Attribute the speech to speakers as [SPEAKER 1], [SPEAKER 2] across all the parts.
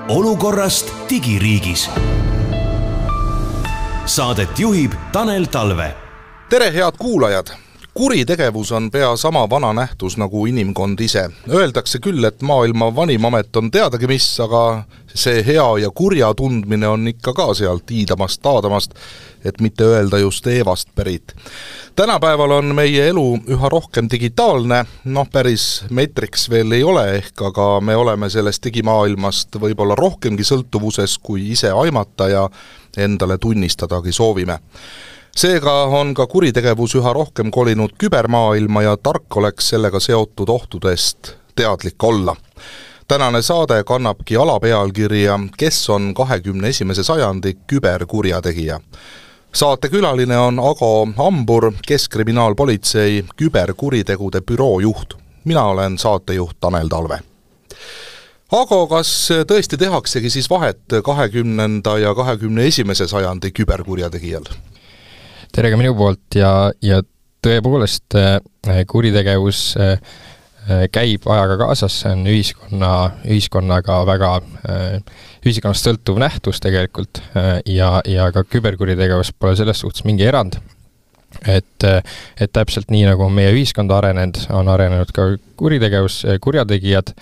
[SPEAKER 1] olukorrast digiriigis. Saadet juhib Tanel Talve.
[SPEAKER 2] Tere, head kuulajad! Kuritegevus on pea sama vana nähtus nagu inimkond ise. Öeldakse küll, et maailma vanim amet on teadagi mis, aga see hea ja kurja tundmine on ikka ka sealt iidamast taadamast, et mitte öelda just Eevast pärit. Tänapäeval on meie elu üha rohkem digitaalne, päris metriks veel ei ole ehk, aga me oleme sellest digimaailmast võib-olla rohkemgi sõltuvuses, kui ise aimata ja endale tunnistadagi soovime. Seega on ka kuritegevus üha rohkem kolinud kübermaailma ja tark oleks sellega seotud ohtudest teadlik olla. Tänane saade kannabki alapealkirja, kes on 21. sajandi küberkurjategija. Saate külaline on Ago Hambur, Keskkriminaalpolitsei küberkuritegude büroo juht. Mina olen saatejuht Tanel Talve. Ago, kas tõesti tehaksegi siis vahet 20. ja 21. sajandi küberkurjategijal?
[SPEAKER 3] Tere ka minu poolt ja tõepoolest kuritegevus käib ajaga kaasas, see on ühiskonnaga väga ühiskonnast sõltuv nähtus tegelikult ja ka küberkuritegevus pole selles suhtes mingi erand. Et täpselt nii nagu meie ühiskond on arenenud ka kuritegevus, kurjategijad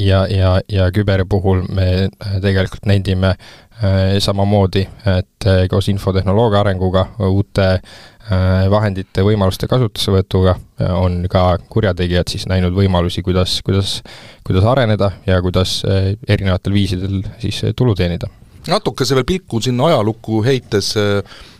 [SPEAKER 3] ja küberi puhul me tegelikult nendime samamoodi, et koos infotehnoloogia arenguga, uute vahendite võimaluste kasutusevõtuga on ka kurjategijad siis näinud võimalusi, kuidas areneda ja kuidas erinevatel viisidel siis tulu teenida.
[SPEAKER 2] Natuke see veel pilku sinna ajalukku heites,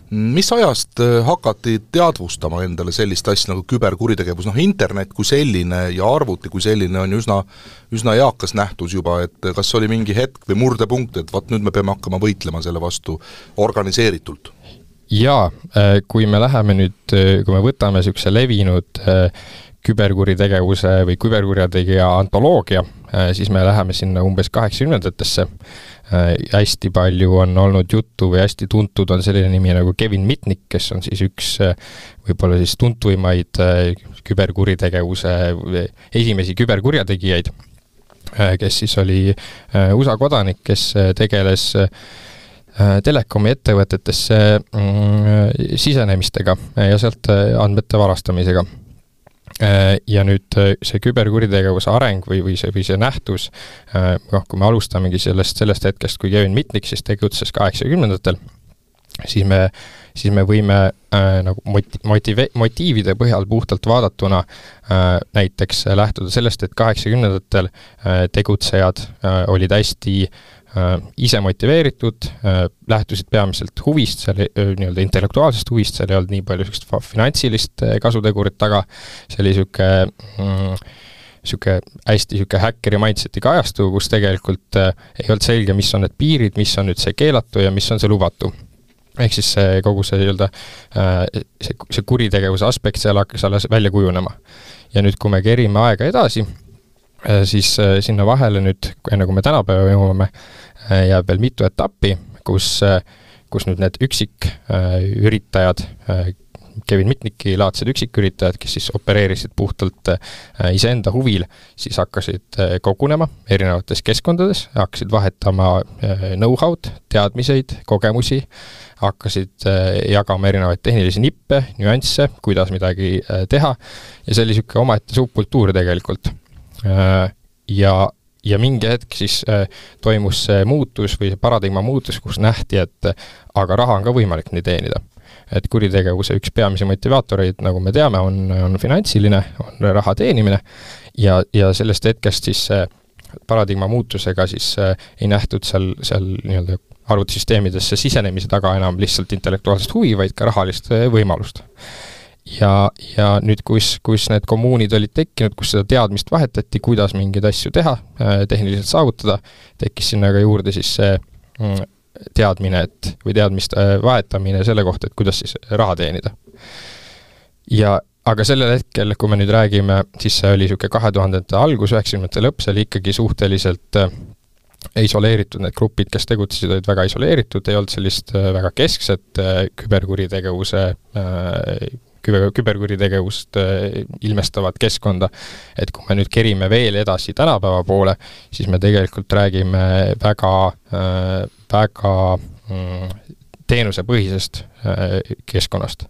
[SPEAKER 2] mis ajast hakati teadvustama endale sellist asja nagu küberkuritegevus? Internet kui selline ja arvuti kui selline on üsna eakas nähtus juba, et kas oli mingi hetk või murdepunkt, et nüüd me peame hakkama võitlema selle vastu organiseeritult?
[SPEAKER 3] Jaa, kui me võtame sellise levinud küberkuritegevuse või küberkurjategija antoloogia, siis me läheme sinna umbes 80-ndatesse. Hästi palju on olnud juttu või hästi tuntud on selline nimi nagu Kevin Mitnick, kes on siis üks võib-olla siis tuntuimaid küberkuritegevuse esimesi küberkurjategijaid, kes siis oli USA kodanik, kes tegeles telekomi ettevõtetesse sisenemistega ja sealt andmete varastamisega. Ja nüüd see küberkuritegevuse areng või see nähtus, kui me alustamegi sellest hetkest, kui Kevin Mitnick siis tegutses 80-ndatel, siis me võime nagu motiivide põhjal puhtalt vaadatuna näiteks lähtuda sellest, et 80-ndatel tegutsejad olid hästi ise motiveeritud, lähtusid peamiselt huvist, nii-öelda intellektuaalsest huvist, seal ei olnud nii palju finantsilist kasutegurit taga, see oli hästi häkkeri mindsetiga ajastu, kus tegelikult ei olnud selge, mis on need piirid, mis on nüüd see keelatu ja mis on see lubatu. Ehk siis kogu see kuritegevuse aspekt seal hakkas alles välja kujunema. Ja nüüd, kui me kerime aega edasi, siis sinna vahele nüüd, enne kui me tänapäeva jõuame, jääb veel mitu etappi, kus nüüd need üksiküritajad, Kevin Mitnicki laadsed üksiküritajad, kes siis opereerisid puhtalt iseenda huvil, siis hakkasid kogunema erinevates keskkondades, hakkasid vahetama know-how'd, teadmiseid, kogemusi, hakkasid jagama erinevaid tehnilisi nippe, nüansse, kuidas midagi teha ja see oli omaette subkultuur tegelikult. Ja mingi hetk siis toimus see muutus või see paradigma muutus, kus nähti, et aga raha on ka võimalik nii teenida. Et kuritegevuse üks peamisi motivaatoreid, nagu me teame, on finantsiline, on raha teenimine ja sellest hetkest siis paradigma muutusega siis ei nähtud seal nii-öelda arvutisüsteemidesse sisenemise taga enam lihtsalt intellektuaalsest huvi, vaid ka rahalist võimalust. Ja nüüd, kus need kommuunid olid tekkinud, kus seda teadmist vahetati, kuidas mingeid asju teha, tehniliselt saavutada, tekkis sinna ka juurde siis see teadmine või teadmist vahetamine selle kohta, et kuidas siis raha teenida. Aga sellel hetkel, kui me nüüd räägime, siis see oli 2000-ndate algus, 90-ndate lõpp, see oli ikkagi suhteliselt isoleeritud, need grupid, kes tegutsesid, olid väga isoleeritud, ei olnud sellist väga keskset küberkuritegevuse küberkuritegevust ilmestavat keskkonda. Et kui me nüüd kerime veel edasi tänapäeva poole, siis me tegelikult räägime väga teenusepõhisest keskkonnast.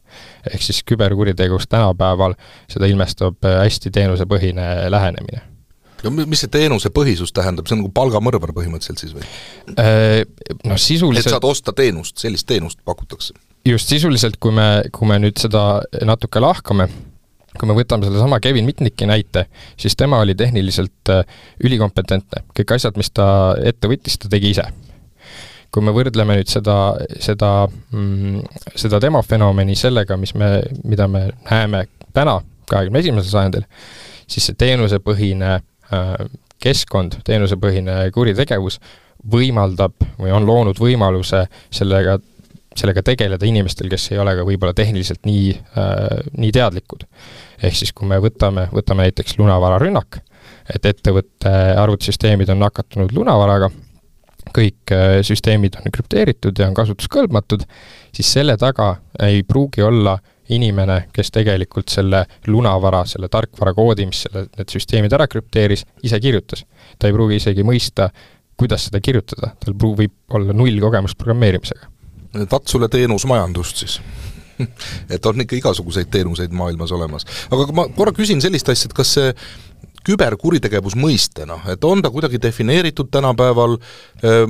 [SPEAKER 3] Ehk siis küberkuritegevust tänapäeval seda ilmestab hästi teenusepõhine lähenemine.
[SPEAKER 2] Ja mis see teenuse põhisus tähendab? See on nagu palgamõrvar põhimõtteliselt siis või?
[SPEAKER 3] No sisuliselt...
[SPEAKER 2] Et saad osta teenust, sellist teenust pakutakse?
[SPEAKER 3] Just sisuliselt, kui me nüüd seda natuke lahkame, kui me võtame selle sama Kevin Mitnicki näite, siis tema oli tehniliselt ülikompetentne. Kõik asjad, mis ta ette võttis, ta tegi ise. Kui me võrdleme nüüd seda demofenomeni sellega, mida me näeme täna 21. sajandil, siis see teenusepõhine keskkond, teenusepõhine kuritegevus võimaldab või on loonud võimaluse sellega tegeleda inimestel, kes ei ole ka võib-olla tehniliselt nii teadlikud. Ehk siis, kui me võtame näiteks lunavararünnak, et ettevõtte arvutisüsteemid on nakatunud lunavaraga, kõik süsteemid on krüpteeritud ja on kasutuskõlbmatud, siis selle taga ei pruugi olla inimene, kes tegelikult selle lunavara, selle tarkvara koodi, mis need süsteemid ära krüpteeris, ise kirjutas. Ta ei pruugi isegi mõista, kuidas seda kirjutada. Tal võib olla 0 kogemust programmeerimisega.
[SPEAKER 2] Vaat sulle teenusmajandust siis. Et on ikka igasuguseid teenuseid maailmas olemas. Aga ma korra küsin sellist asja, et kas see küberkuritegevus mõistena, et on ta kuidagi defineeritud tänapäeval,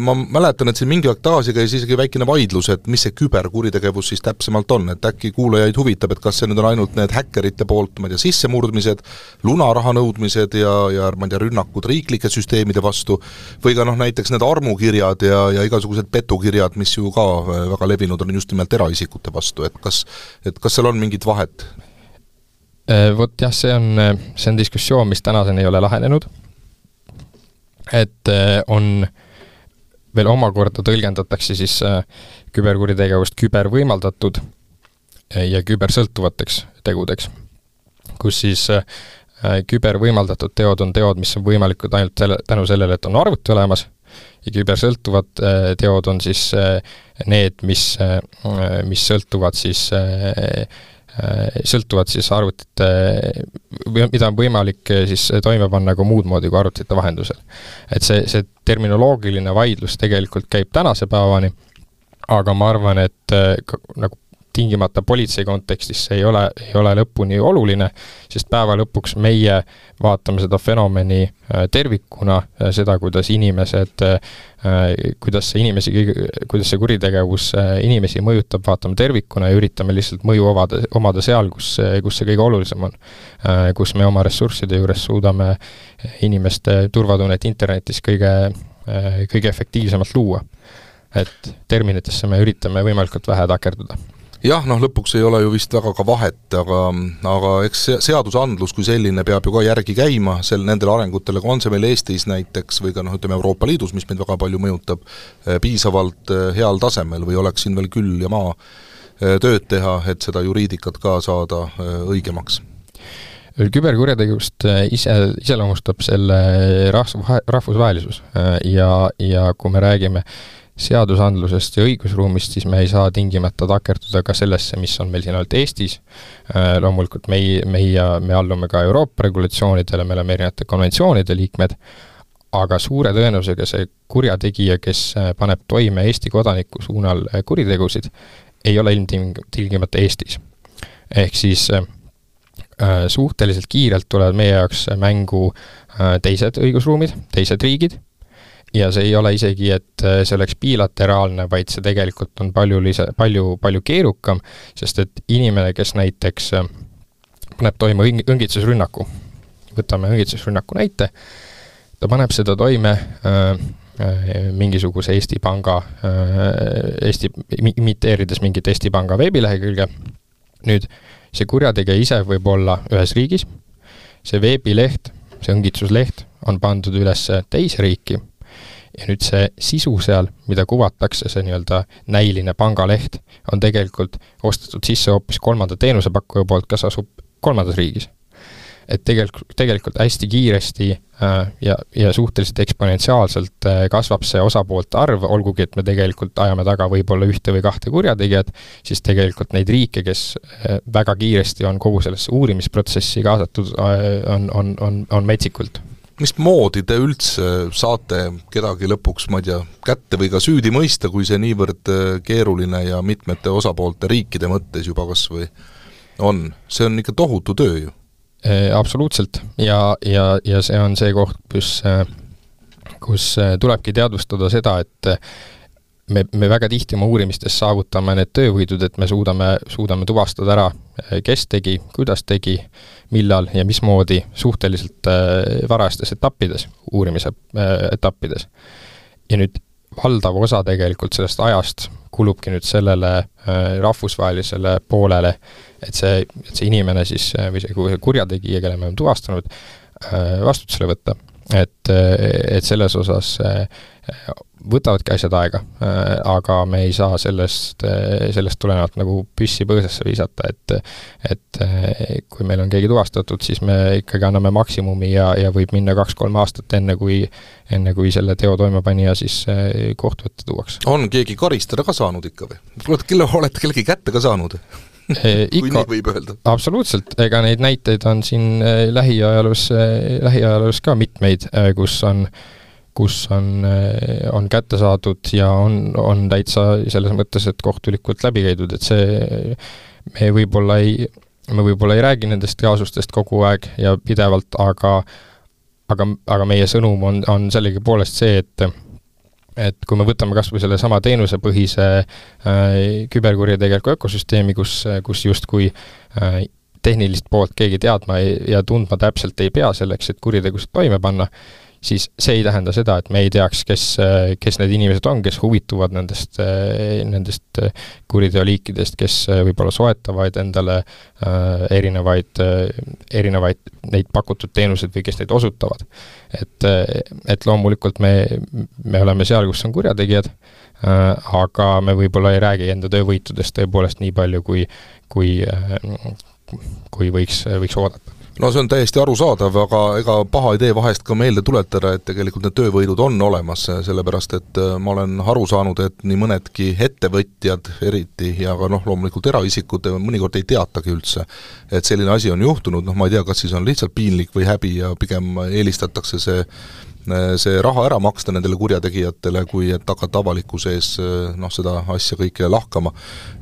[SPEAKER 2] ma mäletan, et siin mingi aeg tagasi käis isegi väikene vaidlus, et mis see küberkuritegevus siis täpsemalt on, et äkki kuulajaid huvitab, et kas see nüüd on ainult need häkkerite poolt, ma ei tea, sissemurdmised, lunaraha nõudmised ja ma ei tea, rünnakud riiklike süsteemide vastu, või ka näiteks need armukirjad ja igasugused petukirjad, mis ju ka väga levinud on just nimelt eraisikute vastu, et kas seal on mingit vahet?
[SPEAKER 3] Vot jah, see on diskussioon, mis tänaseni ei ole lahenenud. Et on veel omakorda tõlgendatakse siis küberkuritegevust kübervõimaldatud ja kübersõltuvateks tegudeks, kus siis kübervõimaldatud teod on teod, mis on võimalikud ainult tänu sellele, et on arvuti olemas, ja kübersõltuvad teod on siis need, mis sõltuvad siis arvutite, mida on võimalik siis toime panna ka muud moodi kui arvutite vahendusel. Et see terminoloogiline vaidlus tegelikult käib tänase päevani, aga ma arvan, et nagu tingimata politsei kontekstis see ei ole lõpuni oluline, sest päeva lõpuks meie vaatame seda fenomeni tervikuna, seda, kuidas see kuritegevus inimesi mõjutab, vaatame tervikuna ja üritame lihtsalt mõju omada seal, kus see kõige olulisem on, kus me oma ressursside juures suudame inimeste turvatunnet internetis kõige efektiivsemalt luua. Et terminitesse me üritame võimalikult vähe takerduda.
[SPEAKER 2] Jah, lõpuks ei ole ju vist väga ka vahet, aga eks seadusandlus kui selline peab ju ka järgi käima nendele arengutele, kui on see meil Eestis näiteks või ka ütleme Euroopa Liidus, mis meid väga palju mõjutab, piisavalt heal tasemel või oleks siin veel küll ja maa tööd teha, et seda juriidikat ka saada õigemaks?
[SPEAKER 3] Küberkurjategevust iseloomustab selle rahvusvahelisus ja kui me räägime seadusandlusest ja õigusruumist, siis me ei saa tingimata takerduda ka sellesse, mis on meil siin ainult Eestis. Loomulikult me allume ka Euroopa regulatsioonidele, me oleme erinevate konventsioonide liikmed, aga suure tõenäosusega see kurjategija, kes paneb toime Eesti kodaniku suunal kuritegusid, ei ole ilmtingimata Eestis. Ehk siis suhteliselt kiirelt tulevad meie jaoks mängu teised õigusruumid, teised riigid, ja see ei ole isegi, et see oleks bilateraalne, vaid see tegelikult on palju keerukam, sest et inimene, kes näiteks paneb toime õngitsusrünnaku, võtame õngitsusrünnaku näite, ta paneb seda toime mingisuguse Eesti Panga, imiteerides mingit Eesti Panga veebilehekülge. Nüüd see kurjategija ise võib olla ühes riigis, see veebileht, see õngitsusleht on pandud üles teise riiki, ja nüüd see sisu seal, mida kuvatakse, see nii-öelda näiline pangaleht, on tegelikult ostetud sisse hoopis kolmanda teenusepakkuja poolt, kes asub kolmandas riigis. et tegelikult hästi kiiresti ja suhteliselt eksponentsiaalselt kasvab see osapoolte arv, olgugi, et me tegelikult ajame taga võib-olla 1 või 2 kurjategijat, siis tegelikult neid riike, kes väga kiiresti on kogu sellesse uurimisprotsessi kaasatud, on metsikult.
[SPEAKER 2] Mismoodi te üldse saate kedagi lõpuks, ma ei tea, kätte või ka süüdi mõista, kui see niivõrd keeruline ja mitmete osapoolte riikide mõttes juba kas või on? See on ikka tohutu töö ju.
[SPEAKER 3] Absoluutselt ja see on see koht, kus tulebki teadvustada seda, et me väga tihti oma uurimistes saavutame need töövõidud, et me suudame tuvastada ära, kes tegi, kuidas tegi, millal ja mismoodi suhteliselt varastes etappides, uurimise etappides. Ja nüüd valdav osa tegelikult sellest ajast kulubki nüüd sellele rahvusvahelisele poolele, et see inimene siis, või see kurjategija, kelle me oleme tuvastanud, vastutusele võtta. Et selles osas võtavadki asjad aega, aga me ei saa sellest tulenevalt nagu püssi põõsasse visata, et kui meil on keegi tuvastatud, siis me ikkagi anname maksimumi ja võib minna 2-3 aastat enne kui selle teo toimepanija siis kohtu ette tuuaks. On
[SPEAKER 2] keegi karistada ka saanud ikka või? Olete kellegi kätte ka saanud? Kui nii võib öelda.
[SPEAKER 3] Absoluutselt, ega neid näiteid on siin lähiajaloos ka mitmeid, kus on kätte saadud ja on täitsa selles mõttes, et kohtulikult läbi käidud, et see me võib-olla ei räägi nendest kaasustest kogu aeg ja pidevalt, aga meie sõnum on sellegi poolest see, et kui me võtame kas või selle sama teenusepõhise küberkurjategeliku ökosüsteemi, kus justkui tehnilist poolt keegi teadma ja tundma täpselt ei pea selleks, et kuritegusid toime panna, siis see ei tähenda seda, et me ei teaks, kes need inimesed on, kes huvituvad nendest kuriteoliikidest, kes võib-olla soetavad endale erinevaid neid pakutud teenuseid või kes neid osutavad. Et loomulikult me oleme seal, kus on kurjategijad, aga me võib-olla ei räägi enda töövõitudest tõepoolest nii palju, kui võiks oodata.
[SPEAKER 2] No see on täiesti arusaadav, aga ega paha idee vahest ka meelde tuletada, et tegelikult need töövõidud on olemas, sellepärast et ma olen aru saanud, et nii mõnedki ettevõtjad eriti ja ka loomulikult eraisikud mõnikord ei teatagi üldse, et selline asi on juhtunud, ma ei tea, kas siis on lihtsalt piinlik või häbi ja pigem eelistatakse see raha ära maksta nendele kurjategijatele, kui et hakata avalikkuse ees seda asja kõike lahkama.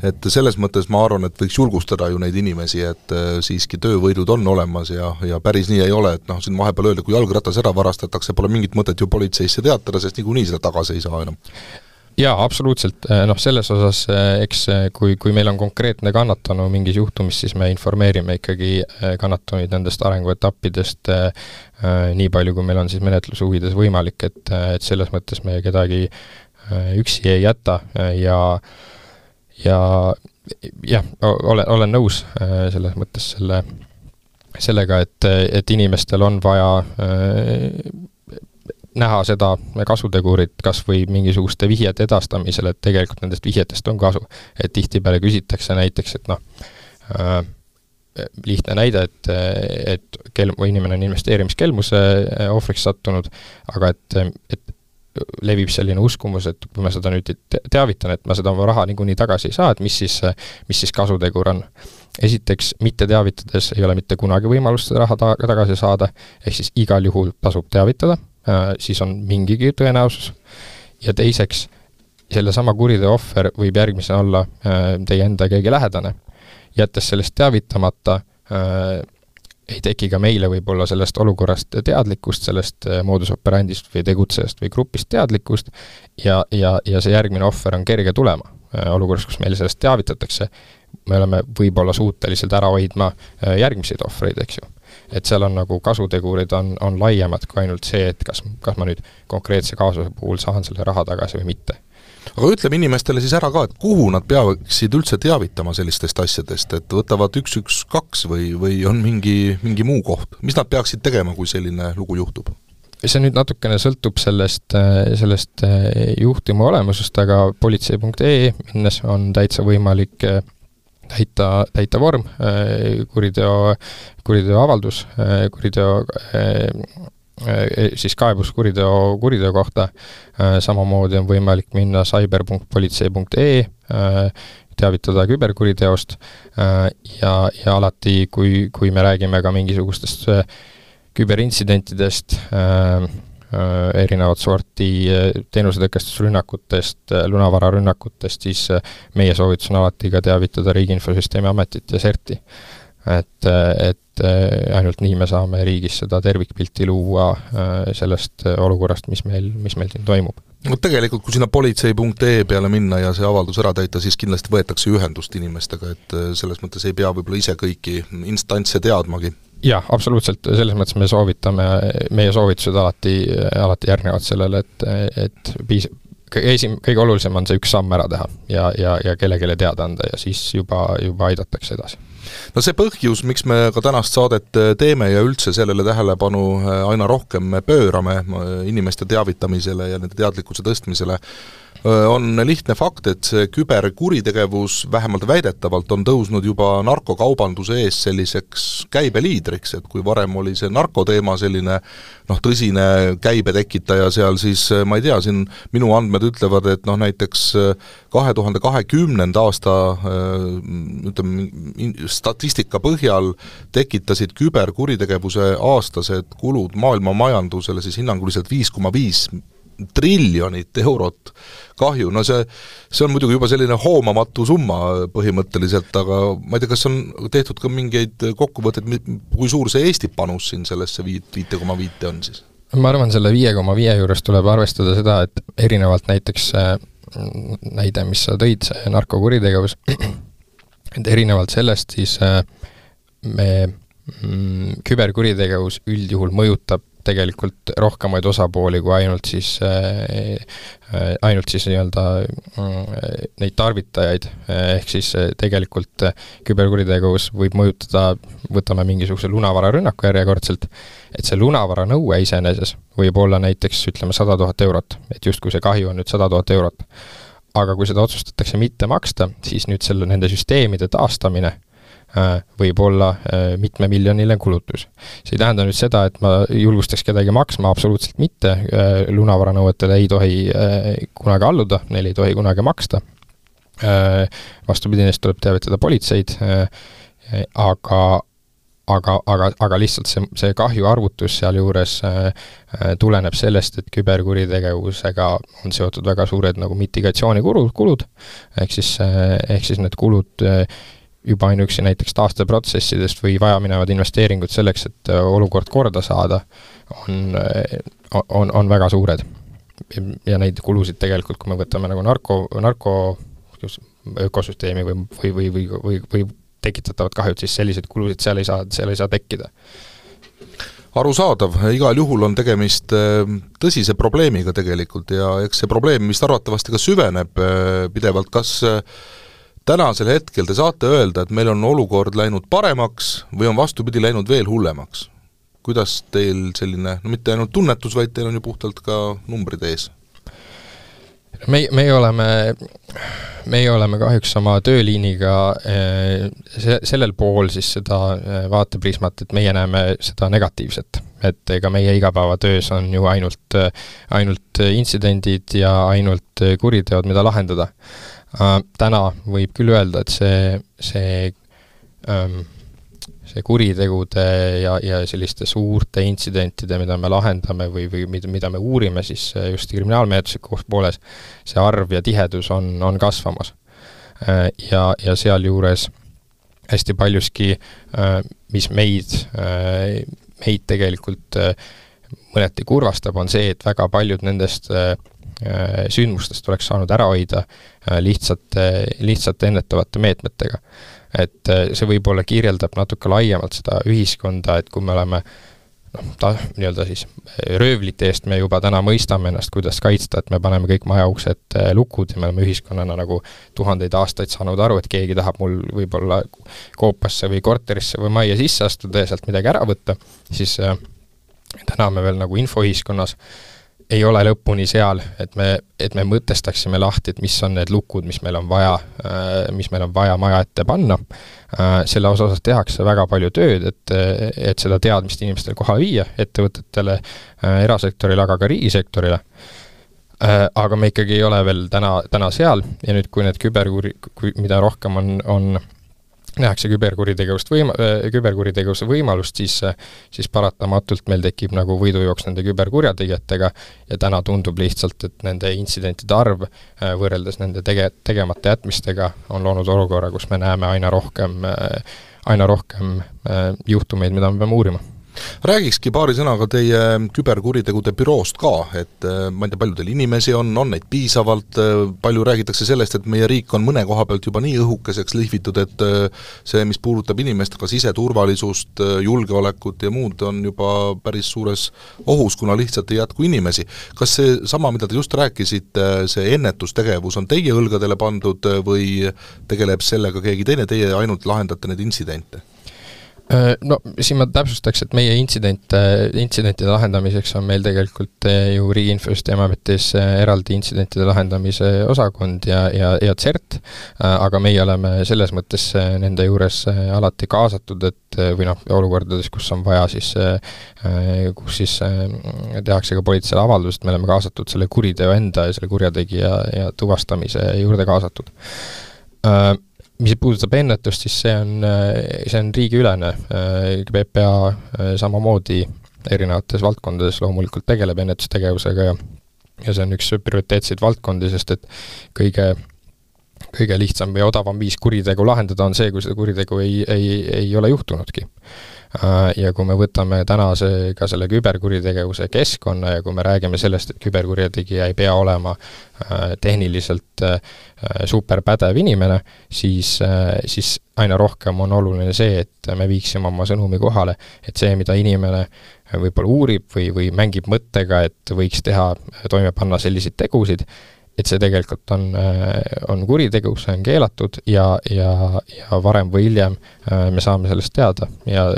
[SPEAKER 2] Et selles mõttes ma arvan, et võiks julgustada ju neid inimesi, et siiski töövõidud on olemas ja päris nii ei ole, et siin vahepeal öelda, kui jalgratas ära varastatakse, pole mingit mõtet ju politseisse teatada, sest niikuinii seda tagasi ei saa enam.
[SPEAKER 3] Jaa, absoluutselt. Selles osas, eks kui meil on konkreetne kannatanu mingis juhtumis, siis me informeerime ikkagi kannatanuid nendest arenguetappidest nii palju, kui meil on siis menetlushuvides võimalik, et selles mõttes me kedagi üksi ei jäta ja olen nõus selles mõttes sellega, et inimestel on vaja näha seda kasutegurit kas või mingisuguste vihjete edastamisel, et tegelikult nendest vihjetest on kasu. Et tihtipeale küsitakse näiteks, et lihtne näide, et inimene on investeerimiskelmuse ohvriks sattunud, aga et levib selline uskumus, et kui ma seda nüüd teavitan, et ma seda raha niikuinii tagasi ei saa, et mis siis kasutegur on. Esiteks, mitte teavitades ei ole mitte kunagi võimalust seda raha tagasi saada, ehk siis igal juhul tasub teavitada, siis on mingigi tõenäosus. Ja teiseks, selle sama kuriteo ohver võib järgmisena olla teie enda keegi lähedane. Jättes sellest teavitamata, ei teki ka meile võib-olla sellest olukorrast teadlikkust, sellest moodus operandist või tegutsejast või grupist teadlikkust ja see järgmine ohver on kerge tulema. Olukorras, kus meile sellest teavitatakse, me oleme võib-olla suutelised ära hoidma järgmiseid ohvreid, eks ju. Et seal on nagu kasutegurid on laiemad kui ainult see, et kas ma nüüd konkreetse kaasuse puhul saan selle raha tagasi või mitte.
[SPEAKER 2] Aga ütleme inimestele siis ära ka, et kuhu nad peaksid üldse teavitama sellistest asjadest, et võtavad 112 või on mingi muu koht. Mis nad peaksid tegema, kui selline lugu juhtub?
[SPEAKER 3] See nüüd natukene sõltub sellest juhtuma olemusest, aga politsei.ee minnes on täitsa võimalik täita vorm, kuriteoavaldus, siis kaebus kuriteo kohta, samamoodi on võimalik minna cyber.politsei.ee, teavitada küberkuriteost ja alati, kui me räägime ka mingisugustest küberintsidentidest, erinevat sorti teenusetõkestusrünnakutest, lunavararünnakutest, siis meie soovitus on alati ka teavitada Riigi Infosüsteemi Ametit ja CERT-i. Et ainult nii me saame riigis seda tervikpilti luua sellest olukorrast, mis meil siin toimub.
[SPEAKER 2] No tegelikult, kui sinna politsei.ee peale minna ja see avaldus ära täita, siis kindlasti võetakse ühendust inimestega, et selles mõttes ei pea võib-olla ise kõiki instantse teadmagi.
[SPEAKER 3] Jah, absoluutselt, selles mõttes me soovitame, meie soovitused alati järgnevad sellele, et kõige olulisem on see üks samm ära teha ja kellelegi teada anda ja siis juba aidatakse edasi.
[SPEAKER 2] No see põhjus, miks me ka tänast saadet teeme ja üldse sellele tähelepanu aina rohkem me pöörame inimeste teavitamisele ja nende teadlikkuse tõstmisele, on lihtne fakt, et see küberkuritegevus vähemalt väidetavalt on tõusnud juba narkokaubanduse ees selliseks käibeliidriks, et kui varem oli see narkoteema selline tõsine käibetekitaja seal, siis ma ei tea, siin minu andmed ütlevad, et näiteks 2020. aasta statistika põhjal tekitasid küberkuritegevuse aastased kulud maailma majandusele siis hinnanguliselt 5,5 triljonit eurot kahju. No see on muidugi juba selline hoomamatu summa põhimõtteliselt, aga ma ei tea, kas on tehtud ka mingeid kokkuvõtteid, kui suur see Eesti panus siin sellesse 5,5 on siis?
[SPEAKER 3] Ma arvan, selle 5,5 juures tuleb arvestada seda, et erinevalt näiteks näide, mis sa tõid, see narkokuritegevus, et erinevalt sellest siis küberkuritegevus üldjuhul mõjutab tegelikult rohkemaid osapooli kui ainult siis nii-öelda neid tarvitajaid, ehk siis tegelikult küberkuritegevus võib mõjutada, võtame mingisuguse lunavararünnaku järjekordselt, et see lunavara nõue iseeneses võib olla näiteks, ütleme, 100 000 eurot, et just kui see kahju on nüüd 100 000 eurot. Aga kui seda otsustatakse mitte maksta, siis nüüd nende süsteemide taastamine võib olla mitmemiljoniline kulutus. See ei tähenda nüüd seda, et ma julgustaks kedagi maksma, absoluutselt mitte. Lunavaranõuetele ei tohi kunagi alluda, neil ei tohi kunagi maksta. Vastupidi, neist tuleb teavitada politseid, aga lihtsalt see kahju arvutus seal juures tuleneb sellest, et küberkuritegevusega on seotud väga suured nagu mitigatsioonikulud, ehk siis need kulud juba ainuüksi näiteks taasteprotsessidest või vajaminevad investeeringud selleks, et olukord korda saada, on väga suured. Ja neid kulusid tegelikult, kui me võtame nagu narko ökosüsteemi või tekitatavad kahjud, siis sellised kulusid seal ei saa tekkida.
[SPEAKER 2] Arusaadav, igal juhul on tegemist tõsise probleemiga tegelikult ja eks see probleem, mis arvatavasti ka süveneb pidevalt, kas tänasel hetkel te saate öelda, et meil on olukord läinud paremaks või on vastupidi läinud veel hullemaks? Kuidas teil selline, mitte ainult tunnetus, vaid teil on ju puhtalt ka numbrid ees?
[SPEAKER 3] Meie oleme kahjuks oma tööliiniga sellel pool siis seda vaateprismat, et meie näeme seda negatiivset, et ega meie igapäevatöös on ju ainult intsidendid ja ainult kuriteod, mida lahendada. Täna võib küll öelda, et see kuritegude ja selliste suurte intsidentide, mida me lahendame või mida me uurime siis just kriminaalmenetluslikus pooles, see arv ja tihedus on kasvamas. Ja seal juures hästi paljuski, mis meid tegelikult mõneti kurvastab, on see, et väga paljud nendest sündmustest oleks saanud ära hoida lihtsalt ennetavate meetmetega. Et see võib-olla kirjeldab natuke laiemalt seda ühiskonda, et kui me oleme nii-öelda siis röövlite eest me juba täna mõistame ennast, kuidas kaitsta, et me paneme kõik majauksed lukud ja me oleme ühiskonnana nagu tuhandeid aastaid saanud aru, et keegi tahab mul võib-olla koopasse või korterisse või majja sisse astuda ja sealt midagi ära võtta, siis täna me veel nagu infoühiskonnas ei ole lõpuni seal, et me mõtestaksime lahti, et mis on need lukud, mis meil on vaja maja ette panna. Selle osas tehakse väga palju tööd, et seda teadmist inimestele kohale viia, ettevõtetele, erasektorile, aga ka riigisektorile. Aga me ikkagi ei ole veel täna seal ja nüüd, kui need mida rohkem on nähakse küberkuritegevuse võimalust, siis paratamatult meil tekib nagu võidujooks nende küberkurjategijatega ja täna tundub lihtsalt, et nende intsidentide arv võrreldes nende tegemata jätmistega on loonud olukorra, kus me näeme aina rohkem juhtumeid, mida me peame uurima.
[SPEAKER 2] Räägikski paari sõnaga teie küberkuritegude büroost ka, et ma ei tea, palju teil inimesi on neid piisavalt, palju räägitakse sellest, et meie riik on mõne koha pealt juba nii õhukeseks lihvitud, et see, mis puudutab inimest, ka siseturvalisust, julgeolekut ja muud, on juba päris suures ohus, kuna lihtsalt ei jätku inimesi. Kas see sama, mida te just rääkisite, see ennetustegevus on teie õlgadele pandud või tegeleb sellega keegi teine, teie ainult lahendate need intsidente?
[SPEAKER 3] No siin ma täpsustaks, et meie intsidentide lahendamiseks on meil tegelikult ju Riigi Infosüsteemiametis eraldi intsidentide lahendamise osakond ja CERT, aga meie oleme selles mõttes nende juures alati kaasatud, et või olukordades, kus on vaja kus tehakse ka politseile avaldust, me oleme kaasatud selle kuriteo enda ja selle kurjategija ja tuvastamise juurde kaasatud. Mis puudutab ennetust, siis see on riigiülene. PPA samamoodi erinevates valdkondades loomulikult tegeleb ennetustegevusega ja see on üks prioriteetseid valdkondi, sest et kõige lihtsam ja odavam viis kuritegu lahendada on see, kui seda kuritegu ei ole juhtunudki. Ja kui me võtame ka selle küberkuritegevuse keskkonna ja kui me räägime sellest, et küberkurjategija ei pea olema tehniliselt superpädev inimene, siis aina rohkem on oluline see, et me viiksime oma sõnumi kohale, et see, mida inimene võib-olla uurib või mängib mõttega, et võiks toime panna selliseid tegusid, et see tegelikult on kuritegu, see on keelatud ja varem või hiljem me saame sellest teada ja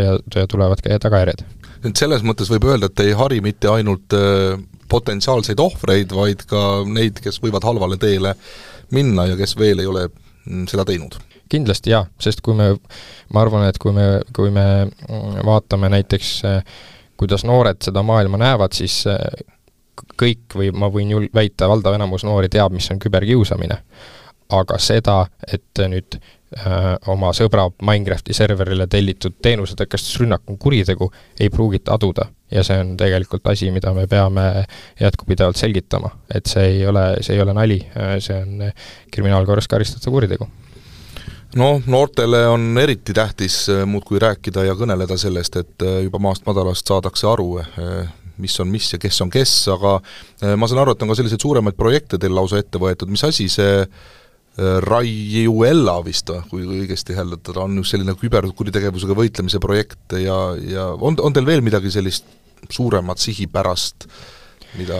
[SPEAKER 3] tulevad ka tagajärjed.
[SPEAKER 2] Nüüd selles mõttes võib öelda, et ei hari mitte ainult potentsiaalseid ohvreid, vaid ka neid, kes võivad halvale teele minna ja kes veel ei ole seda teinud.
[SPEAKER 3] Kindlasti jah, sest ma arvan, et kui me vaatame näiteks, kuidas noored seda maailma näevad, siis kõik või ma võin väita, valdav enamus noori teab, mis on küberkiusamine. Aga seda, et nüüd oma sõbra Minecrafti serverile tellitud teenusetõkestusrünnak on kuritegu, ei pruugita aduda. Ja see on tegelikult asi, mida me peame jätkupidevalt selgitama. Et see ei ole nali, see on kriminaalkorras karistatav kuritegu.
[SPEAKER 2] No, noortele on eriti tähtis muudkui rääkida ja kõneleda sellest, et juba maast madalast saadakse aru, mis on mis ja kes on kes, aga ma saan aru, et on ka selliseid suuremaid projekte teil lausa ette võetud. Mis asi see Raiuella vist, kui õigesti hääletada, on just selline küberkuritegevusega võitlemise projekt ja on teil veel midagi sellist suuremat sihipärast,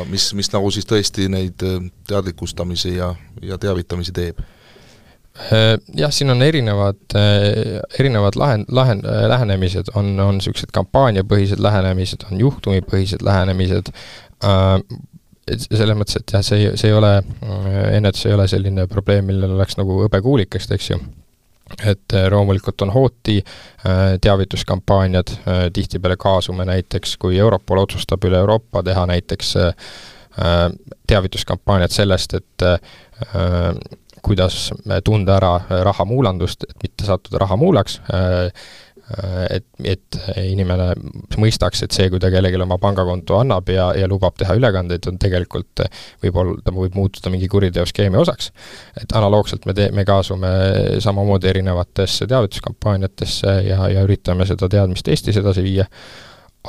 [SPEAKER 2] mis nagu siis tõesti neid teadlikustamisi ja teavitamisi teeb?
[SPEAKER 3] Jah, siin on erinevad lähenemised, on sellised kampaaniapõhised lähenemised, on juhtumipõhised lähenemised, selles mõttes, et jah, ennetus ei ole selline probleem, millel oleks nagu õbekuulikest, eks ju. Et loomulikult on hooti teavituskampaaniad, tihtipeale kaasume näiteks, kui Europol otsustab üle Euroopa teha näiteks teavituskampaaniad sellest, et kuidas tunda ära rahamuulandust, et mitte sattuda rahamuulaks, et inimene mõistaks, et see, kui ta kellelegi oma pangakonto annab ja lubab teha ülekandeid, on tegelikult ta võib muutuda mingi kuriteoskeemi osaks. Et analoogselt me kaasume samamoodi erinevatesse teavituskampaaniatesse ja üritame seda teadmist Eestis edasi viia,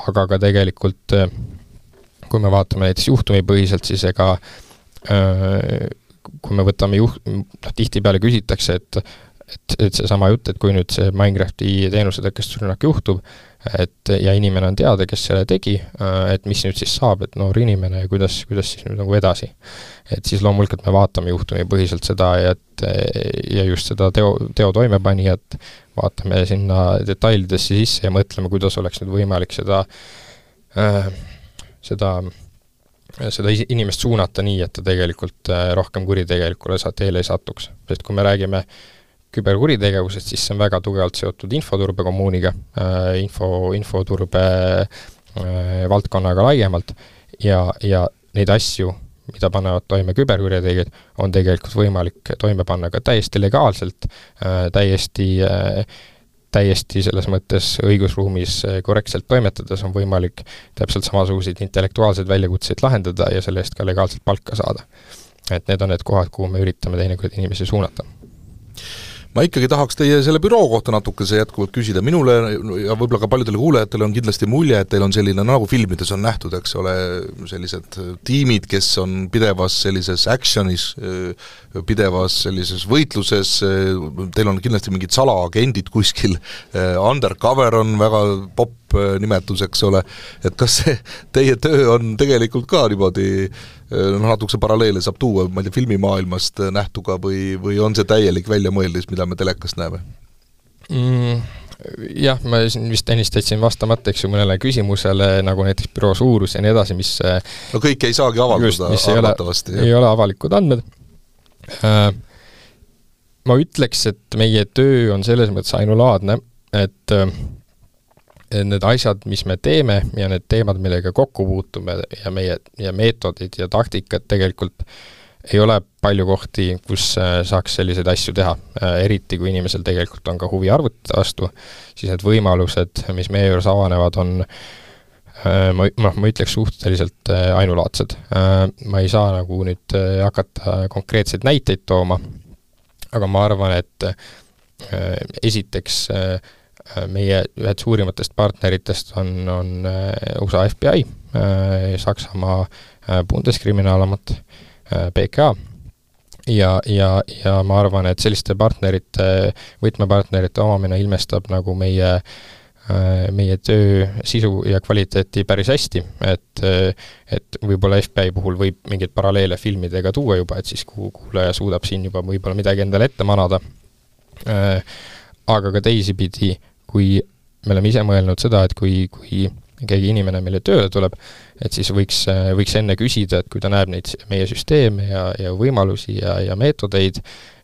[SPEAKER 3] aga ka tegelikult, kui me vaatame näiteks juhtumipõhiselt, siis ega kui me võtame tihtipeale küsitakse, et see sama jutt, et kui nüüd see Minecrafti teenusetõkestusrünnak juhtub, ja inimene on teada, kes selle tegi, et mis nüüd siis saab, et noor inimene ja kuidas siis nüüd nagu edasi. Et siis loomulikult me vaatame juhtumipõhiselt seda ja just seda teo toimepanijat, vaatame sinna detailidesse sisse ja mõtleme, kuidas oleks nüüd võimalik seda seda inimest suunata nii, et ta tegelikult rohkem kuritegelikule teele ei satuks. Sest kui me räägime küberkuritegevusest, siis see on väga tugevalt seotud infoturbe kommuuniga, infoturbe valdkonnaga laiemalt ja neid asju, mida panevad toime küberkurjategijad, on tegelikult võimalik toime panna ka täiesti legaalselt, täiesti selles mõttes õigusruumis korrektselt toimetades on võimalik täpselt samasuguseid intellektuaalseid väljakutseid lahendada ja selle eest ka legaalselt palka saada. Et need on need kohad, kuhu me üritame teinekord inimesi suunata.
[SPEAKER 2] Ma ikkagi tahaks teie selle büroo kohta natukese jätkuvalt küsida. Minule ja võib-olla ka paljudele kuulajatele on kindlasti mulje, et teil on selline, nagu filmides on nähtud, eks ole, sellised tiimid, kes on pidevas sellises actionis, pidevas sellises võitluses, teil on kindlasti mingid salaagendid kuskil, undercover on väga popp nimetus, eks ole, et kas see teie töö on tegelikult ka niimoodi natukese paralleele saab tuua, ma ei tea, filmimaailmast nähtuga või on see täielik väljamõeldis, mida me telekast näeme?
[SPEAKER 3] Jah, ma vist ennistasin vastamata, eks ju, mõnele küsimusele, nagu näiteks büroo suurus ja nii edasi, mis
[SPEAKER 2] no kõik ei saagi avaldada arvatavasti.
[SPEAKER 3] Ei ole avalikud andmed. Ma ütleks, et meie töö on selles mõttes ainulaadne, et need asjad, mis me teeme ja need teemad, millega kokku puutume ja meetodid ja taktikad tegelikult ei ole palju kohti, kus saaks selliseid asju teha. Eriti, kui inimesel tegelikult on ka huvi arvutite vastu, siis need võimalused, mis meie juures avanevad, on ma ütleks suhteliselt ainulaadsed. Ma ei saa nagu nüüd hakata konkreetseid näiteid tooma, aga ma arvan, et esiteks meie ühed suurimatest partneritest on USA FBI, Saksamaa Bundeskriminaalamat, BKA ja ma arvan, et selliste võtmepartnerite omamine ilmestab nagu meie töö sisu ja kvaliteeti päris hästi, et võib-olla FBI puhul võib mingeid paralleele filmidega tuua juba, et siis kuulaja suudab siin juba võib-olla midagi endale ette manada. Aga ka teisipidi, kui me oleme ise mõelnud seda, et kui keegi inimene meile tööle tuleb, et siis võiks enne küsida, et kui ta näeb neid meie süsteeme ja võimalusi ja meetodeid,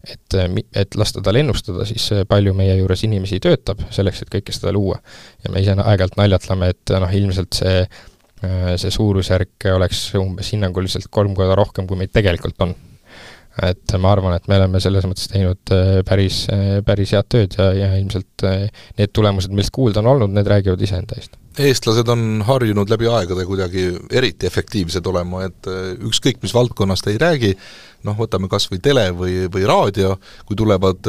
[SPEAKER 3] et lasta tal ennustada, siis palju meie juures inimesi töötab selleks, et kõike seda luua. Ja me ise aeg-ajalt naljatleme, et ilmselt see suurusjärk oleks umbes hinnanguliselt 3 korda rohkem, kui meid tegelikult on. Et ma arvan, et me oleme selles mõttes teinud päris head tööd ja ilmselt need tulemused, millest kuulda on olnud, need räägivad iseenda eest.
[SPEAKER 2] Eestlased on harjunud läbi aegade kuidagi eriti efektiivsed olema, et ükskõik mis valdkonnast ei räägi, võtame kas või tele või raadio, kui tulevad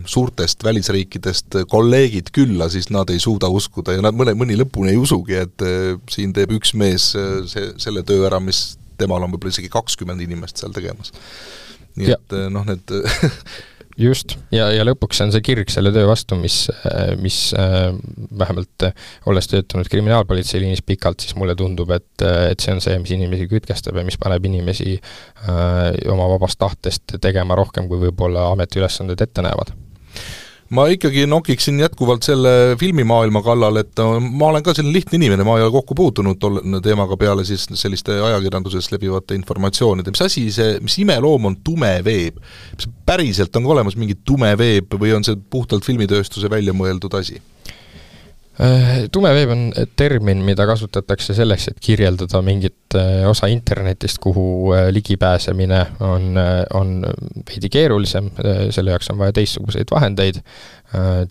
[SPEAKER 2] suurtest välisriikidest kolleegid külla, siis nad ei suuda uskuda ja nad mõni lõpuni ei usugi, et siin teeb üks mees selle töö ära, mis temal on võib-olla isegi 20 inimest seal tegemas. Nii et need
[SPEAKER 3] just, ja lõpuks on see kirg selle töö vastu, mis vähemalt olles töötanud kriminaalpolitseiliinis pikalt, siis mulle tundub, et see on see, mis inimesi kütkestab ja mis paneb inimesi oma vabast tahtest tegema rohkem, kui võib-olla ametiülesanded ette näevad.
[SPEAKER 2] Ma ikkagi nokiksin jätkuvalt selle filmimaailma kallal, et ma olen ka selline lihtne inimene, ma ei ole kokku puutunud teemaga peale siis selliste ajakirjanduses levivate informatsioonide. Mis asi see, mis imeloom on tume veeb? Mis päriselt on olemas mingi tume veeb või on see puhtalt filmitööstuse välja mõeldud asi?
[SPEAKER 3] Tume veeb on termin, mida kasutatakse selleks, et kirjeldada mingit osa internetist, kuhu ligipääsemine on veidi keerulisem, selle jaoks on vaja teistsuguseid vahendeid,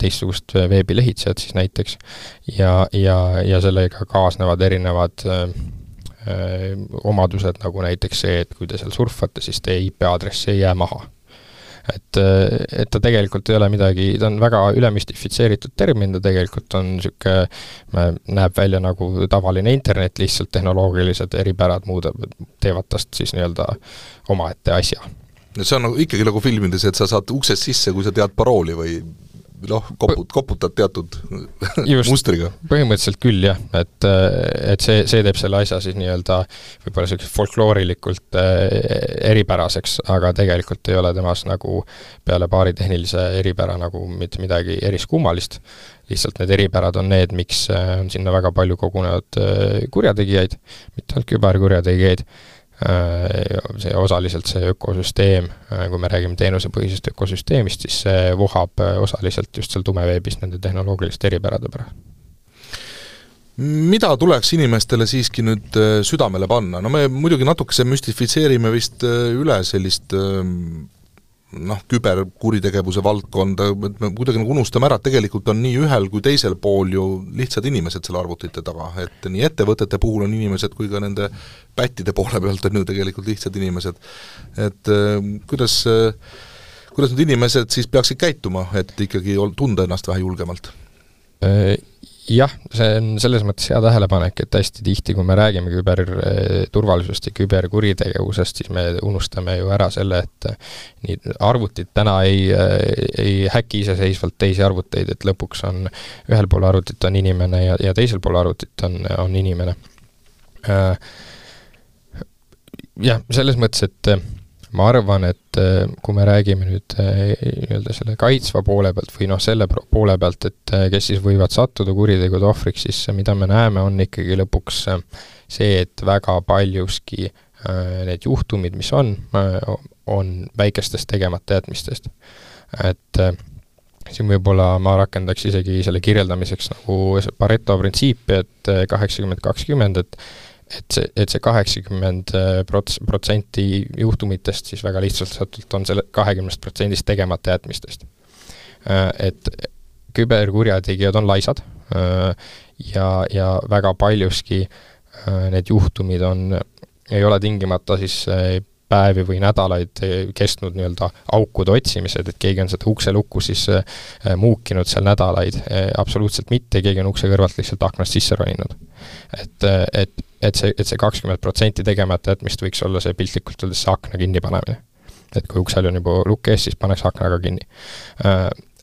[SPEAKER 3] teistsugust veebilehitsejad siis näiteks, ja sellega kaasnevad erinevad omadused, nagu näiteks see, et kui te seal surfate, siis teie IP-aadress ei jää maha. Et ta tegelikult ei ole midagi, ta on väga ülemüstifitseeritud termin, ta tegelikult on näeb välja nagu tavaline internet, lihtsalt tehnoloogilised eripärad teevad tast siis nii-öelda omaette asja.
[SPEAKER 2] See on ikkagi nagu filmides, et sa saad uksest sisse, kui sa tead parooli või koputad teatud mustriga.
[SPEAKER 3] Põhimõtteliselt küll, jah, et see teeb selle asja siis nii-öelda võib-olla selliseks folkloorilikult eripäraseks, aga tegelikult ei ole temas nagu peale paari tehnilise eripära nagu mitte midagi eriskummalist. Lihtsalt need eripärad on need, miks on sinna väga palju kogunenud kurjategijaid, mitte ainult küberkurjategijaid, see osaliselt see ökosüsteem, kui me räägime teenusepõhisest ökosüsteemist, siis see vohab osaliselt just seal tumeveebis nende tehnoloogiliste eripärade pärast.
[SPEAKER 2] Mida tuleks inimestele siiski nüüd südamele panna? No me muidugi natukese müstifitseerime vist üle sellist küberkuritegevuse valdkonda, et me kuidagi unustame ära, et tegelikult on nii ühel kui teisel pool ju lihtsad inimesed selle arvutite taga, et nii ettevõtete puhul on inimesed kui ka nende pättide poole pealt on ju tegelikult lihtsad inimesed. Et kuidas nüüd inimesed siis peaksid käituma, et ikkagi tunda ennast vähe julgemalt?
[SPEAKER 3] Jah, see on selles mõttes hea tähelepanek, et hästi tihti, kui me räägime küberturvalisusest ja küberkuritegevusest, siis me unustame ju ära selle, et nii arvutid täna ei häki iseseisvalt teisi arvuteid, et lõpuks on ühel pool arvutit on inimene ja teisel pool arvutit on inimene. Jah, selles mõttes, et ma arvan, et kui me räägime nüüd selle kaitsva poole pealt või selle poole pealt, et kes siis võivad sattuda kuritegude ohvriks, siis mida me näeme, on ikkagi lõpuks see, et väga paljuski need juhtumid, mis on väikestest tegemata jätmist. Et siin võib-olla ma rakendaks isegi selle kirjeldamiseks nagu Pareto printsiipi, et 80-20, et see 80% juhtumitest siis väga lihtsalt on selle 20% tegemata jätmistest. Et küberkurjategijad on laisad ja väga paljuski need juhtumid ei ole tingimata siis päevi või nädalaid kestnud nii-öelda aukude otsimised, et keegi on seda ukselukku siis muukinud seal nädalaid, absoluutselt mitte, keegi on ukse kõrvalt lihtsalt aknast sisse roninud. Et see 20% tegemata jätmist võiks olla see piltlikult öeldes see akna kinni panemine. Et kui uksel on juba lukk ees, siis paneks aknaga kinni.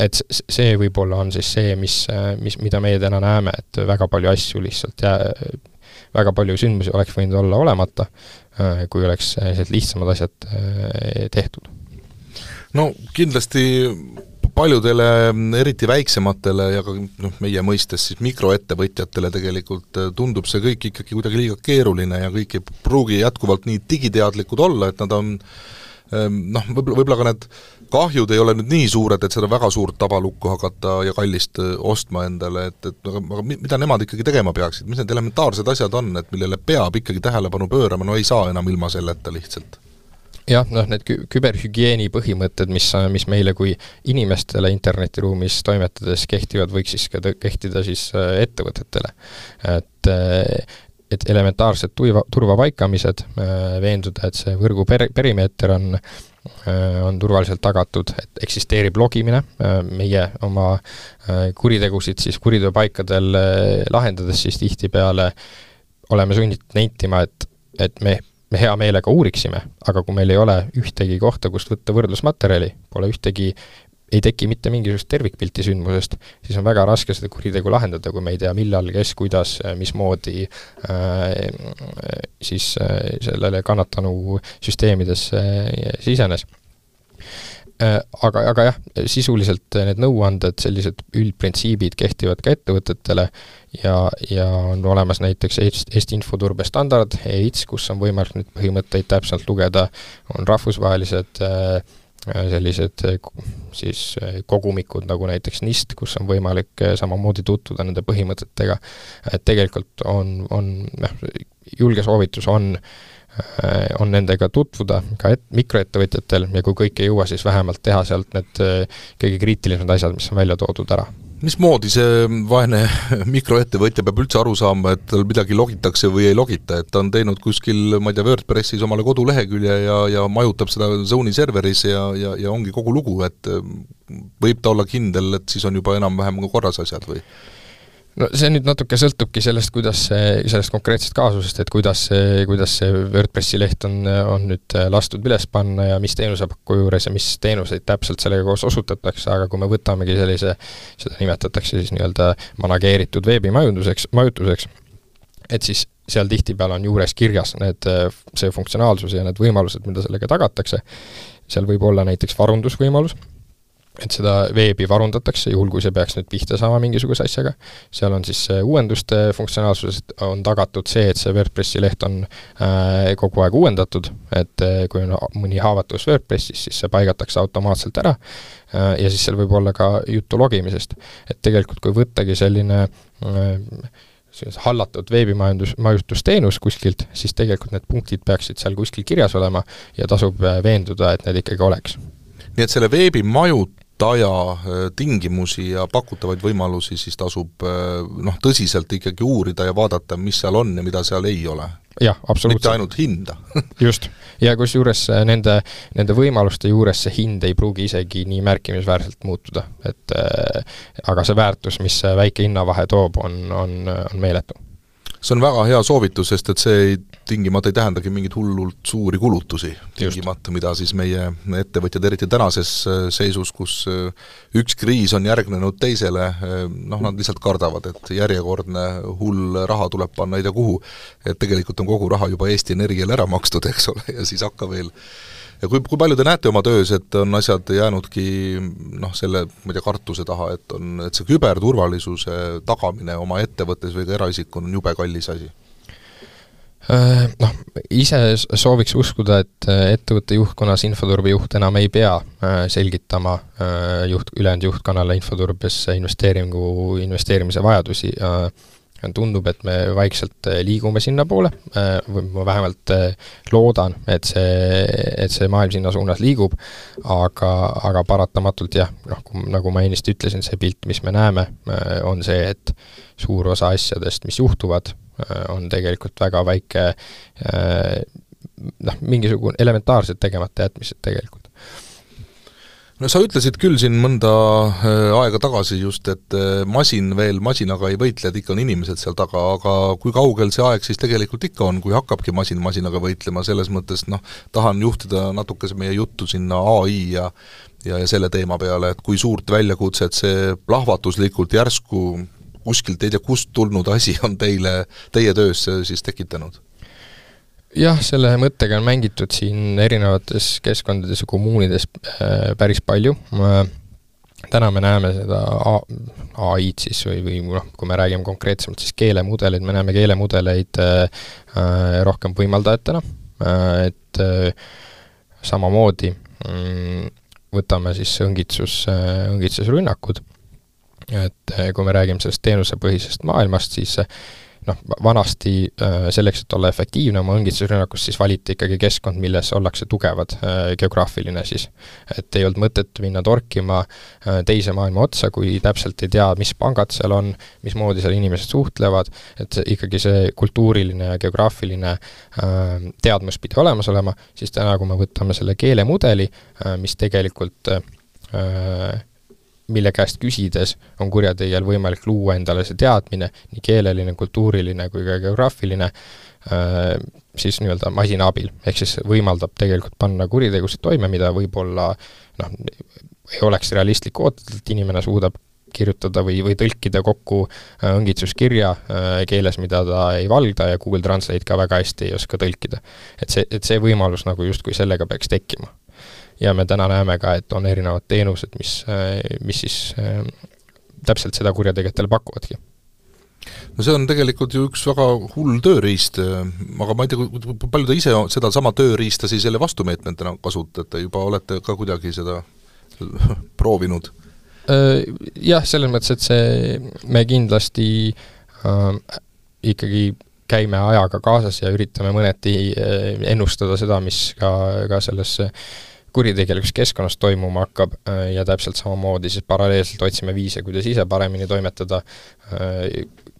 [SPEAKER 3] Et see võib-olla on siis see, mida meie täna näeme, et väga palju asju lihtsalt väga palju sündmusi oleks võinud olla olemata, kui oleks lihtsamad asjad tehtud.
[SPEAKER 2] No kindlasti paljudele, eriti väiksematele ja ka meie mõistes siis mikroettevõtjatele tegelikult tundub see kõik ikkagi kuidagi liiga keeruline ja kõik ei pruugi jätkuvalt nii digiteadlikud olla, et nad on võib-olla ka need kahjud ei ole nüüd nii suured, et seda väga suurt tabalukku hakata ja kallist ostma endale, aga mida nemad ikkagi tegema peaksid, mis need elementaarsed asjad on, et millele peab ikkagi tähelepanu pöörama, no ei saa enam ilma selleta lihtsalt?
[SPEAKER 3] Jah, need küberhügieeni põhimõtted, mis meile kui inimestele internetiruumis toimetades kehtivad, võiks siis ka kehtida siis ettevõtetele. Et elementaarsed turvapaikamised, veenduda, et see võrgu perimeeter on turvaliselt tagatud, et eksisteerib logimine, meie oma kuritegusid siis kuriteopaikadel lahendades siis tihtipeale oleme sunnitud nentima, et me hea meelega uuriksime, aga kui meil ei ole ühtegi kohta, kust võtta võrdlusmaterjali, ei teki mitte mingisugust tervikpilti sündmusest, siis on väga raske seda kuritegu lahendada, kui me ei tea, millal, kes, kuidas, mismoodi siis sellele kannatanu süsteemidesse sisenes. Aga jah, sisuliselt need nõuanded, sellised üldprintsiibid kehtivad ka ettevõtetele ja on olemas näiteks Eesti infoturbe standard, EITS, kus on võimalik nüüd põhimõtteid täpselt lugeda, on rahvusvahelised sellised siis kogumikud nagu näiteks NIST, kus on võimalik samamoodi tutvuda nende põhimõtetega, et tegelikult on julge soovitus on nendega tutvuda ka mikroettevõtjatel ja kui kõik ei jõua, siis vähemalt teha sealt need kõige kriitilisemad asjad, mis on välja toodud ära.
[SPEAKER 2] Mismoodi see vaene mikroettevõtja peab üldse aru saama, et tal midagi logitakse või ei logita, et ta on teinud kuskil, ma ei tea, WordPressis omale kodulehekülje ja majutab seda Zone'i serveris ja ongi kogu lugu, et võib ta olla kindel, et siis on juba enam-vähem korras asjad või?
[SPEAKER 3] No see nüüd natuke sõltubki sellest, sellest konkreetsest kaasusest, et kuidas see WordPressi leht on nüüd lastud üles panna ja mis teenusepakku juures ja mis teenuseid täpselt sellega koos osutatakse, aga kui me võtamegi seda nimetatakse siis nii-öelda manageeritud veebimajutuseks, et siis seal tihtipeale on juures kirjas see funktsionaalsus ja need võimalused, mida sellega tagatakse. Seal võib olla näiteks varundusvõimalus, et seda veebi varundatakse, juhul kui see peaks nüüd pihta saama mingisuguse asjaga. Seal on siis uuenduste funktsionaalsusest on tagatud see, et see WordPressi leht on kogu aeg uuendatud, et kui on mõni haavatus WordPressis, siis see paigatakse automaatselt ära ja siis seal võib olla ka juttu logimisest. Et tegelikult kui võttagi selline hallatud veebimajutusteenus kuskilt, siis tegelikult need punktid peaksid seal kuskil kirjas olema ja tasub veenduda, et need ikkagi oleks.
[SPEAKER 2] Nii et selle veebimajutaja tingimusi ja pakutavaid võimalusi siis tasub tõsiselt ikkagi uurida ja vaadata, mis seal on ja mida seal ei ole.
[SPEAKER 3] Jah, absoluutselt.
[SPEAKER 2] Mitte ainult hinda.
[SPEAKER 3] Just. Ja kus juures nende võimaluste juures see hind ei pruugi isegi nii märkimisväärselt muutuda. Aga see väärtus, mis see väike hinnavahe toob, on meeletu.
[SPEAKER 2] See on väga hea soovitus, sest et see tingimata ei tähendagi mingit hullult suuri kulutusi tingimata, mida siis meie ettevõtjad eriti tänases seisus, kus üks kriis on järgnenud teisele, nad lihtsalt kardavad, et järjekordne hull raha tuleb panna ei tea kuhu, et tegelikult on kogu raha juba Eesti Energiale ära makstud, eks ole, ja siis hakka veel. Ja kui palju te näete oma töös, et on asjad jäänudki selle kartuse taha, et see küberturvalisuse tagamine oma ettevõttes või ka eraisikul on jube kallis asi?
[SPEAKER 3] Ise sooviks uskuda, et ettevõtte juhtkonnas infoturbe juht enam ei pea selgitama ülejäänud juhtkonnale infoturbes investeerimise vajadusi. Tundub, et me vaikselt liigume sinna poole, või ma vähemalt loodan, et see maailm sinna suunas liigub, aga paratamatult jah, nagu ma ennist ütlesin, see pilt, mis me näeme, on see, et suur osa asjadest, mis juhtuvad, on tegelikult väga väike mingisugune elementaarsed tegemata jätmised tegelikult.
[SPEAKER 2] No sa ütlesid küll siin mõnda aega tagasi just, et masinaga ei võitle, et ikka on inimesed seal taga, aga kui kaugel see aeg siis tegelikult ikka on, kui hakkabki masinaga võitlema, selles mõttes tahan juhtida natukese meie juttu sinna AI ja selle teema peale, et kui suurt väljakutset see plahvatuslikult järsku kuskilt ei tea kust tulnud asi on teie töös siis tekitanud?
[SPEAKER 3] Jah, selle mõttega on mängitud siin erinevates keskkondades ja kommuunides päris palju. Täna me näeme seda AI-d siis või kui me räägime konkreetsemalt siis keelemudeleid, me näeme keelemudeleid rohkem võimaldajatena, et samamoodi võtame siis õngitsusrünnakud, et kui me räägime sellest teenusepõhisest maailmast, siis vanasti selleks, et olla efektiivne oma õngitsusrünnakus, siis valiti ikkagi keskkond, milles ollakse tugevad geograafiline siis. Et ei olnud mõtet minna torkima teise maailma otsa, kui täpselt ei tea, mis pangad seal on, mismoodi seal inimesed suhtlevad, et ikkagi see kultuuriline ja geograafiline teadmus pidi olemas olema, siis täna, kui me võtame selle keelemudeli, mis tegelikult mille käest küsides on kurjategijal võimalik luua endale see teadmine, nii keeleline, kultuuriline kui ka geograafiline, siis nii-öelda masina abil. Ehk siis võimaldab tegelikult panna kuritegusid toime, mida võib-olla ei oleks realistlik ootada, et inimene suudab kirjutada või tõlkida kokku õngitsuskirja keeles, mida ta ei valda ja Google Translate ka väga hästi ei oska tõlkida. Et see võimalus justkui sellega peaks tekkima. Ja me täna näeme ka, et on erinevad teenused, mis siis täpselt seda kurjategijatele pakuvadki.
[SPEAKER 2] No see on tegelikult ju üks väga hull tööriist, aga ma ei tea, kui palju te ise seda sama tööriista siis selle vastumeetmentena kasutate, juba olete ka kuidagi seda proovinud?
[SPEAKER 3] Jah, selles mõttes, et me kindlasti ikkagi käime ajaga kaasas ja üritame mõneti ennustada seda, mis ka selles kuritegelikus keskkonnas toimuma hakkab ja täpselt samamoodi siis paralleelselt otsime viise, kuidas ise paremini toimetada.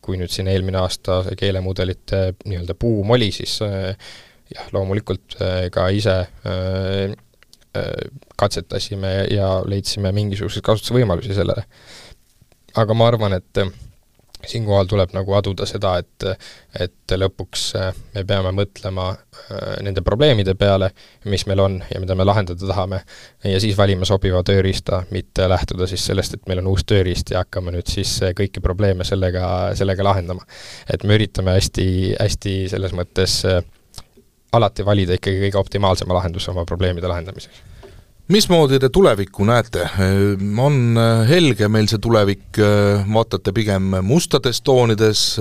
[SPEAKER 3] Kui nüüd siin eelmine aasta keelemudelite nii-öelda buum oli, siis loomulikult ka ise katsetasime ja leidsime mingisuguseid kasutusvõimalusi sellele. Aga ma arvan, et siinkohal tuleb aduda seda, et lõpuks me peame mõtlema nende probleemide peale, mis meil on ja mida me lahendada tahame, ja siis valime sobiva tööriista, mitte lähtuda siis sellest, et meil on uus tööriist ja hakkame nüüd siis kõiki probleeme sellega lahendama. Et me üritame hästi selles mõttes alati valida ikkagi kõige optimaalsema lahenduse oma probleemide lahendamiseks.
[SPEAKER 2] Mismoodi te tulevikku näete? On helge meil see tulevik, vaatate pigem mustades toonides,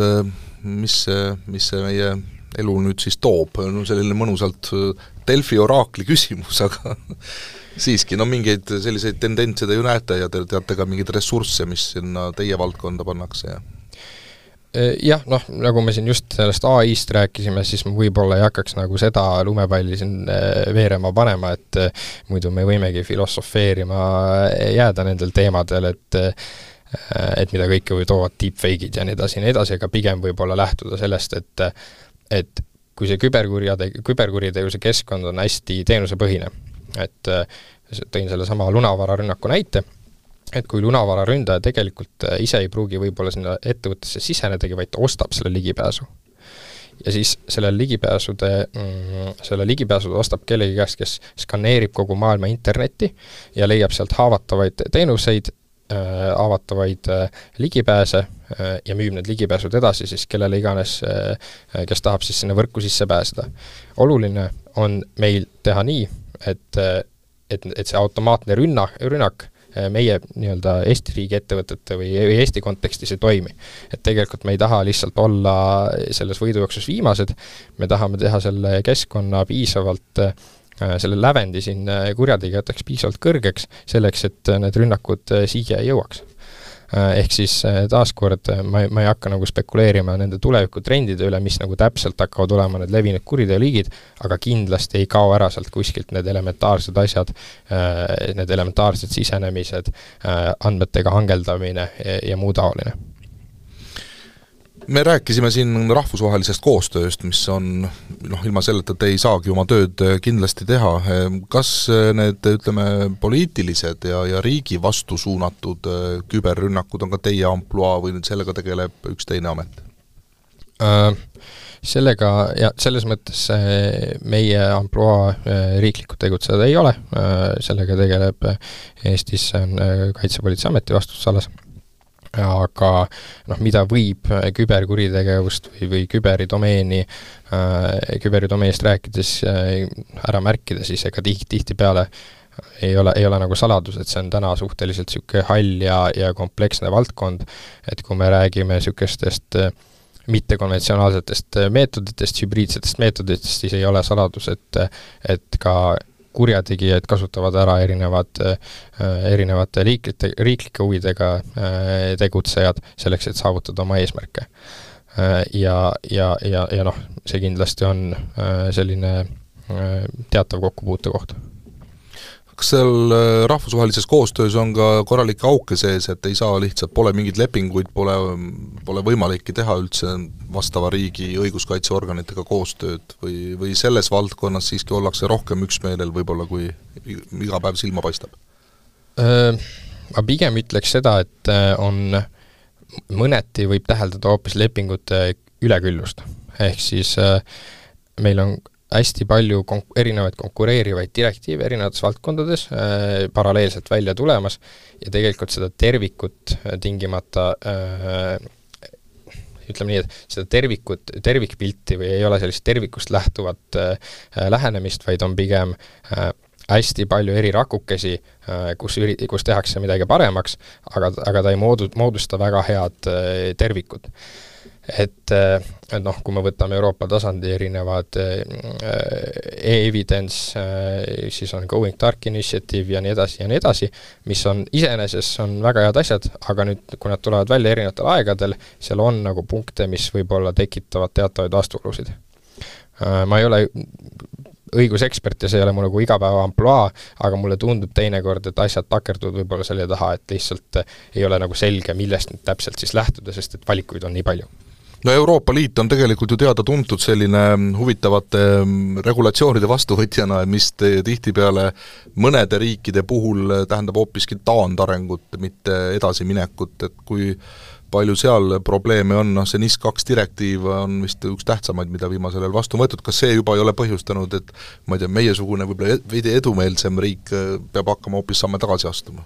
[SPEAKER 2] mis see meie elu nüüd siis toob? No selline mõnusalt Delfi oraakli küsimus, aga siiski, mingeid selliseid tendentse te ju näete ja te teate ka mingeid ressursse, mis sinna teie valdkonda pannakse ja
[SPEAKER 3] jah, nagu me siin just sellest AI-st rääkisime, siis ma võib-olla ei hakkaks nagu seda lumepalli siin veerema panema, et muidu me võimegi filosofeerima jääda nendel teemadel, et mida kõike või toovad deepfake'id ja nii edasi, aga pigem võib-olla lähtuda sellest, et kui see küberkuritegevuse keskkond on hästi teenusepõhine, et tõin selle sama lunavararünnaku näite, et kui lunavararündaja tegelikult ise ei pruugi võib-olla sinna ettevõttesse sisenedagi, vaid ta ostab selle ligipääsu. Ja siis selle ligipääsu ostab kellegi käest, kes skaneerib kogu maailma internetti ja leiab sealt haavatavaid teenuseid, haavatavaid ligipääse ja müüb need ligipääsud edasi siis kellele iganes, kes tahab siis sinna võrku sisse pääseda. Oluline on meil teha nii, et see automaatne rünnak meie nii-öelda Eesti riigi ettevõtete või Eesti kontekstis ei toimi. Et tegelikult me ei taha lihtsalt olla selles võidujooksus viimased, me tahame teha selle keskkonna piisavalt, selle lävendi siin kurjategijateks piisavalt kõrgeks, selleks, et need rünnakud siia ei jõuaks. Ehk siis taaskord ma ei hakka nagu spekuleerima nende tulevikutrendide üle, mis nagu täpselt hakkavad olema need levinud kuriteoliigid, aga kindlasti ei kao ära sealt kuskilt need elementaarsed asjad, need elementaarsed sisenemised, andmetega hangeldamine ja muu taoline.
[SPEAKER 2] Me rääkisime siin rahvusvahelisest koostööst, mis on, ilma selleta te ei saagi oma tööd kindlasti teha. Kas need, poliitilised ja riigi vastu suunatud küberrünnakud on ka teie ampluaa või nüüd sellega tegeleb üks teine amet?
[SPEAKER 3] Sellega, ja selles mõttes meie ampluaa riiklikult tegutseda ei ole, sellega tegeleb Eestis Kaitsepolitseiameti vastutusalas. Aga mida võib küberkuritegevust või küberidomeenist rääkides ära märkida, siis ega tihti peale ei ole nagu saladus, et see on täna suhteliselt selline hall ja kompleksne valdkond, et kui me räägime sellisest mittekonventsionaalsetest meetoditest, hübriidsetest meetoditest, siis ei ole saladus, et ka kurjategijad kasutavad ära erinevate riiklike huvidega tegutsejad selleks, et saavutada oma eesmärke. Ja see kindlasti on selline teatav kokkupuute koht.
[SPEAKER 2] Kas seal rahvusvahelises koostöös on ka korralikke auke sees, et ei saa lihtsalt, pole mingeid lepinguid, pole võimalikki teha üldse vastava riigi õiguskaitseorganitega koostööd või selles valdkonnas siiski ollakse rohkem üksmeelel võib-olla, kui iga päev silma paistab?
[SPEAKER 3] Ma pigem ütleks seda, et on mõneti võib täheldada hoopis lepingute üleküllust. Ehk siis meil on hästi palju erinevaid konkureerivaid direktiive erinevates valdkondades paralleelselt välja tulemas ja tegelikult seda tervikut tingimata ütleme nii, et seda tervikpilti või ei ole sellist tervikust lähtuvat lähenemist, vaid on pigem hästi palju eri rakukesi, kus tehakse midagi paremaks, aga ta ei moodusta väga head tervikut. Et kui me võtame Euroopa tasandi erinevad e-evidence, siis on Going Dark Initiative ja nii edasi, mis on iseeneses on väga head asjad, aga nüüd, kui nad tulevad välja erinevatel aegadel, seal on nagu punkte, mis võib-olla tekitavad teatavaid vastuolusid. Ma ei ole õigusekspert ja see ei ole mu nagu igapäeva ampluaa, aga mulle tundub teinekord, et asjad takerduvad võib-olla selle taha, et lihtsalt ei ole nagu selge, millest nüüd täpselt siis lähtuda, sest et valikuid on nii palju.
[SPEAKER 2] No Euroopa Liit on tegelikult ju teada tuntud selline huvitavate regulatsioonide vastuvõtjana, mis tihtipeale mõnede riikide puhul tähendab hoopiski taandarengut, mitte edasiminekut, et kui palju seal probleeme on, see NIS2 direktiiv on vist üks tähtsamaid, mida viimasel ajal vastu võetud, kas see juba ei ole põhjustanud, et ma ei tea, meiesugune võib-olla veidi edumeelsem riik peab hakkama hoopis samme tagasi astuma?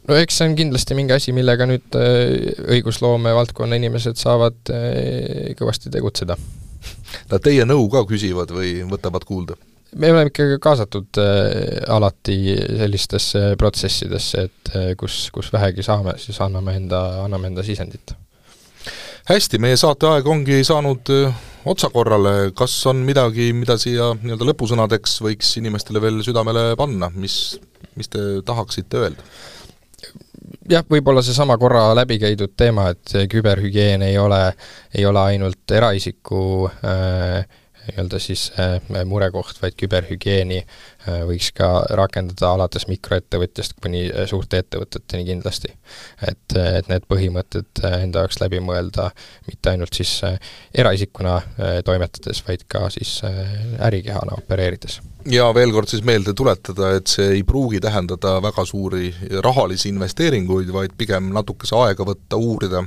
[SPEAKER 3] No eks see on kindlasti mingi asi, millega nüüd õigusloome valdkonna inimesed saavad kõvasti tegutseda.
[SPEAKER 2] Nad teie nõu ka küsivad või võtavad kuulda?
[SPEAKER 3] me oleme ikkagi kaasatud alati sellistesse protsessidesse, et kus vähegi saame, siis anname enda sisendit.
[SPEAKER 2] Hästi, meie saateaeg ongi saanud otsakorrale. Kas on midagi, mida siia nii-öelda lõpusõnadeks võiks inimestele veel südamele panna? Mis te tahaksite öelda?
[SPEAKER 3] Jah, võib-olla see sama korra läbi käidud teema, et küberhügieen ei ole ainult eraisiku nii-öelda siis murekoht, vaid küberhügieeni võiks ka rakendada alates mikroettevõtjast kuni suurte ettevõteteni kindlasti. Et need põhimõtted enda jaoks läbi mõelda mitte ainult siis eraisikuna toimetades, vaid ka siis ärikehana opereerides.
[SPEAKER 2] Ja veel kord siis meelde tuletada, et see ei pruugi tähendada väga suuri rahalisi investeeringuid, vaid pigem natukese aega võtta, uurida,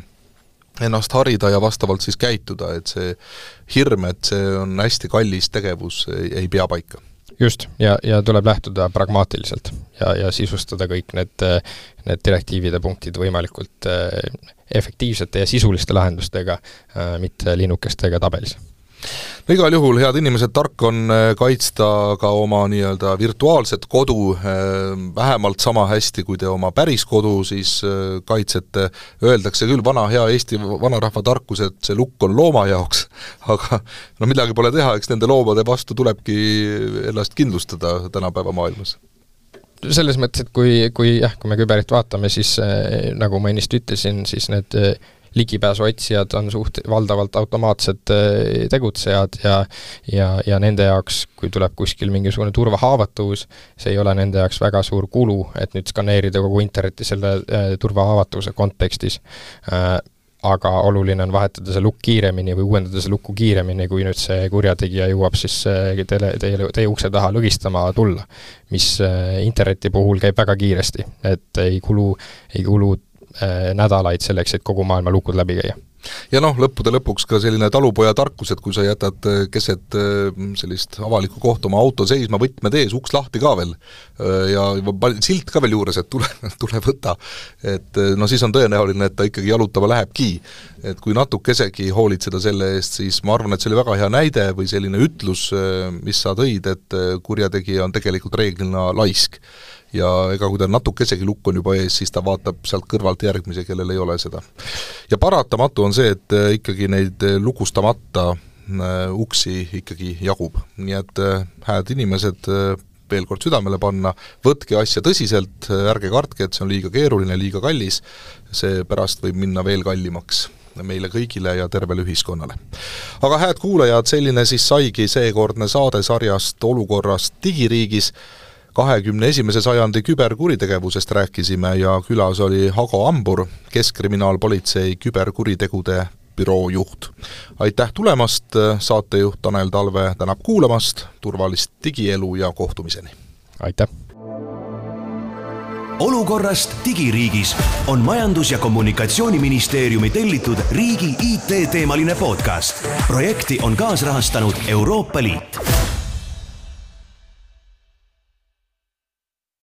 [SPEAKER 2] ennast harida ja vastavalt siis käituda, et see hirm, et see on hästi kallis tegevus, ei pea paika.
[SPEAKER 3] Just, ja tuleb lähtuda pragmaatiliselt ja sisustada kõik need direktiivide punktid võimalikult efektiivsete ja sisuliste lahendustega, mitte linnukestega tabelis.
[SPEAKER 2] No igal juhul, head inimesed, tark on kaitsta ka oma nii-öelda virtuaalset kodu vähemalt sama hästi, kui te oma päris kodu siis kaitsete. Öeldakse küll vana hea Eesti vanarahva tarkus, et see lukk on looma jaoks, aga no midagi pole teha, eks nende loomade vastu tulebki ennast kindlustada tänapäeva maailmas.
[SPEAKER 3] Selles mõttes, et kui me küberit vaatame, siis nagu ma ennist ütlesin, siis need ligipääsu otsijad on valdavalt automaatsed tegutsejad ja nende jaoks, kui tuleb kuskil mingisugune turvahaavatavus, see ei ole nende jaoks väga suur kulu, et nüüd skaneerida kogu interneti selle turvahaavatavuse kontekstis. Aga oluline on vahetada see lukk kiiremini või uuendada see lukku kiiremini, kui nüüd see kurjategija jõuab siis teie ukse taha lõgistama tulla, mis interneti puhul käib väga kiiresti, et ei kulu nädalaid selleks, et kogu maailma lukud läbi käia.
[SPEAKER 2] Ja lõppude lõpuks ka selline talupoja tarkus, et kui sa jätad keset sellist avalikku kohta oma auto seisma, võtmed ees, uks lahti ka veel ja silt ka veel juures, et tule võta, et siis on tõenäoline, et ta ikkagi jalutama lähebki. Et kui natukesegi hoolitseda selle eest, siis ma arvan, et see oli väga hea näide või selline ütlus, mis sa tõid, et kurjategija on tegelikult reeglina laisk. Ja ega kui ta natukesegi lukk on juba ees, siis ta vaatab sealt kõrvalt järgmise, kellel ei ole seda. Ja paratamatu on see, et ikkagi neid lukustamata uksi ikkagi jagub. Nii et hääd inimesed veel kord südamele panna, võtke asja tõsiselt, ärge kartke, et see on liiga keeruline, liiga kallis, see pärast võib minna veel kallimaks meile kõigile ja tervele ühiskonnale. Aga hääd kuulajad, selline siis saigi seekordne saade sarjast Olukorrast digiriigis. 21. sajandi küberkuritegevusest rääkisime ja külas oli Hago Ambur, Keskkriminaalpolitsei küberkuritegude büroo juht. Aitäh tulemast, saatejuht Tanel Talve tänab kuulamast, turvalist digielu ja kohtumiseni.
[SPEAKER 3] Aitäh!
[SPEAKER 1] Olukorrast digiriigis on Majandus- ja Kommunikatsiooniministeeriumi tellitud riigi IT-teemaline podcast. Projekti on kaasrahastanud Euroopa Liit.